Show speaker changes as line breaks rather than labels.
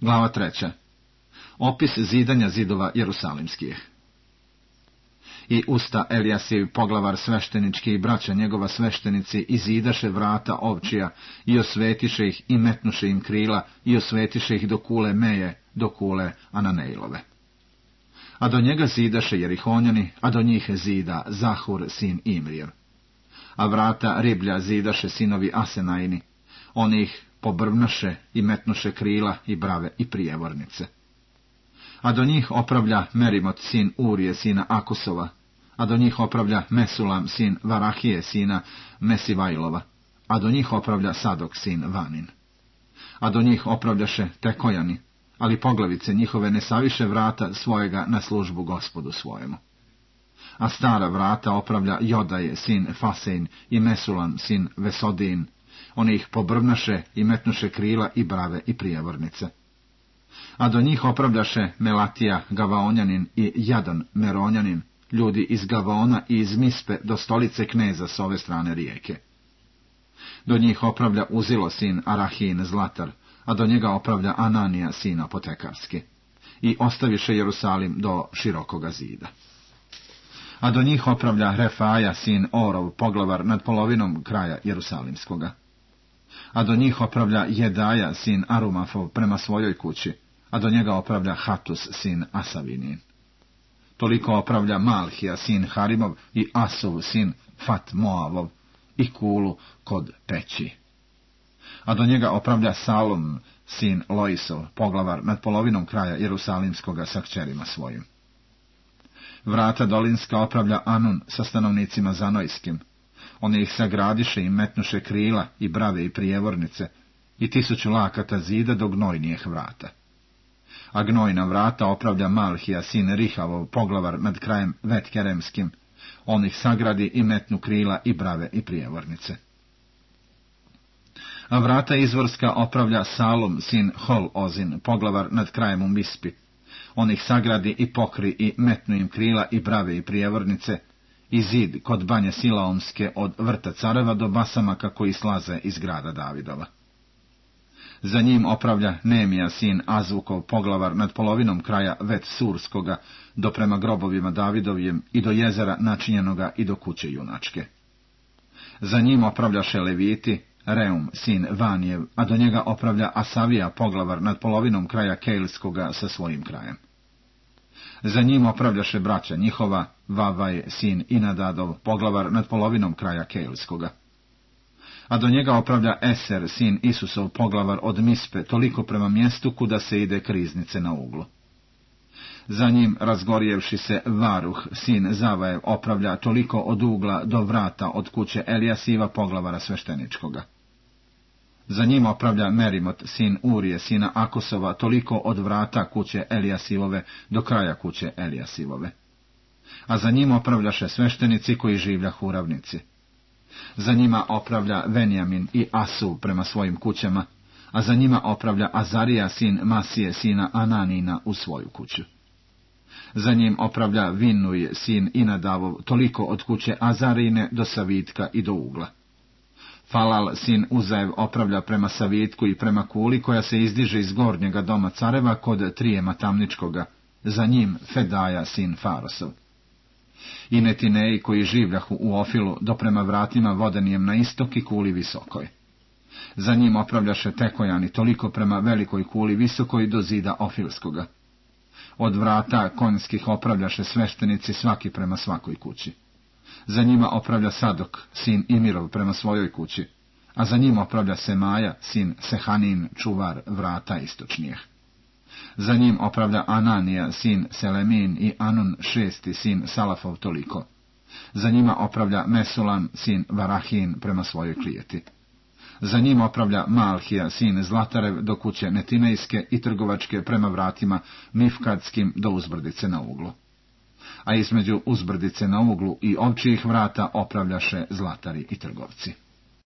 Glava 3. Opis zidanja zidova Jerusalimskih. I usta Elijasijev poglavar sveštenički i braća njegova sveštenici izidaše vrata ovčija i osvetiše ih i metnuše im krila i osvetiše ih do kule Meje, do kule Ananejlove. A do njega zidaše Jerihonjani, a do njih zida Zahur sin Imrijev. A vrata Riblja zidaše sinovi Asenajni, oni ih pobrvnaše i metnuše krila i brave i prijevornice. A do njih opravlja Merimot sin Urije sina Akusova, a do njih opravlja Mesulam sin Varahije sina Mesivajlova, a do njih opravlja Sadok sin Vanin. A do njih opravljaše Tekojani, ali poglavice njihove ne saviše vrata svojega na službu Gospodu svojemu. A stara vrata opravlja Jodaje sin Fasein i Mesulam sin Vesodin, oni ih pobrvnaše i metnuše krila i brave i prijevornice. A do njih opravljaše Melatija Gavaonjanin i Jadan Meronjanin, ljudi iz Gavaona i iz Mispe do stolice kneza s ove strane rijeke. Do njih opravlja Uzilo sin Arahin Zlatar, a do njega opravlja Ananija sin Apotekarski. I ostaviše Jerusalim do širokoga zida. A do njih opravlja Refaja sin Orov, poglavar nad polovinom kraja Jerusalimskoga. A do njih opravlja Jedaja sin Arumafov prema svojoj kući, a do njega opravlja Hatus sin Asavinin. Toliko opravlja Malhija sin Harimov i Asuv sin Fat Moavov i Kulu kod Peći. A do njega opravlja Salom sin Loisov, poglavar nad polovinom kraja Jerusalimskoga sa kćerima svojim. Vrata dolinska opravlja Anun sa stanovnicima Zanojskim. Oni ih sagradiše i metnuše krila i brave i prijevornice i 1000 lakata zida do gnojnijeh vrata. A gnojna vrata opravlja Malhija sin Rihavov, poglavar nad krajem Vetkeremskim. On ih sagradi i metnu krila i brave i prijevornice. A vrata izvorska opravlja Salom sin Hol-Ozin, poglavar nad krajem u Mispi. On ih sagradi i pokri i metnu im krila i brave i prijevornice, i zid kod banje Silaomske od vrta Careva do Basamaka koji slaze iz grada Davidova. Za njim opravlja Nemija sin Azvukov, poglavar nad polovinom kraja Vet Surskoga, do prema grobovima Davidovjem i do jezera načinjenoga i do kuće junačke. Za njim opravljaše Leviti, Reum sin Vanijev, a do njega opravlja Asavija, poglavar nad polovinom kraja Kejlskoga sa svojim krajem. Za njim opravljaše braća njihova, Vavaj sin Inadadov, poglavar nad polovinom kraja Kejlskoga. A do njega opravlja Eser sin Isusov, poglavar od Mispe, toliko prema mjestu kuda se ide k riznice na uglu. Za njim, razgorijevši se, Varuh sin Zavajev opravlja toliko od ugla do vrata od kuće Elijasiva, poglavara svešteničkoga. Za njim opravlja Merimot sin Urije sina Akusova, toliko od vrata kuće Elijasivove do kraja kuće Elijasivove. A za njim opravljaše sveštenici koji življahu u ravnici. Za njima opravlja Venjamin i Asu prema svojim kućama, a za njima opravlja Azarija sin Masije sina Ananina u svoju kuću. Za njim opravlja Vinuj sin Inadavov, toliko od kuće Azarine do Savitka i do ugla. Falal sin Uzajev opravlja prema Savitku i prema kuli koja se izdiže iz gornjega doma Careva kod Trijema Tamničkoga, za njim Fedaja sin Farosov. I Netineji koji življahu u Ofilu do prema vratima vodenijem na istok i kuli visokoj. Za njim opravljaše Tekojani toliko prema velikoj kuli visokoj do zida Ofilskoga. Od vrata konjskih opravljaše sveštenici svaki prema svakoj kući. Za njima opravlja Sadok, sin Imirov, prema svojoj kući, a za njim opravlja Semaja, sin Sehanin, čuvar vrata istočnijeh. Za njim opravlja Ananija, sin Selemin i Anun, 6. sin Salafov toliko. Za njima opravlja Mesulam, sin Varahin, prema svojoj klijeti. Za njim opravlja Malhija, sin Zlatarev, do kuće Netinejske i trgovačke prema vratima Mifkadskim do uzbrdice na uglu. A između uzbrdice na uglu i ovčijih vrata opravljaše zlatari i trgovci.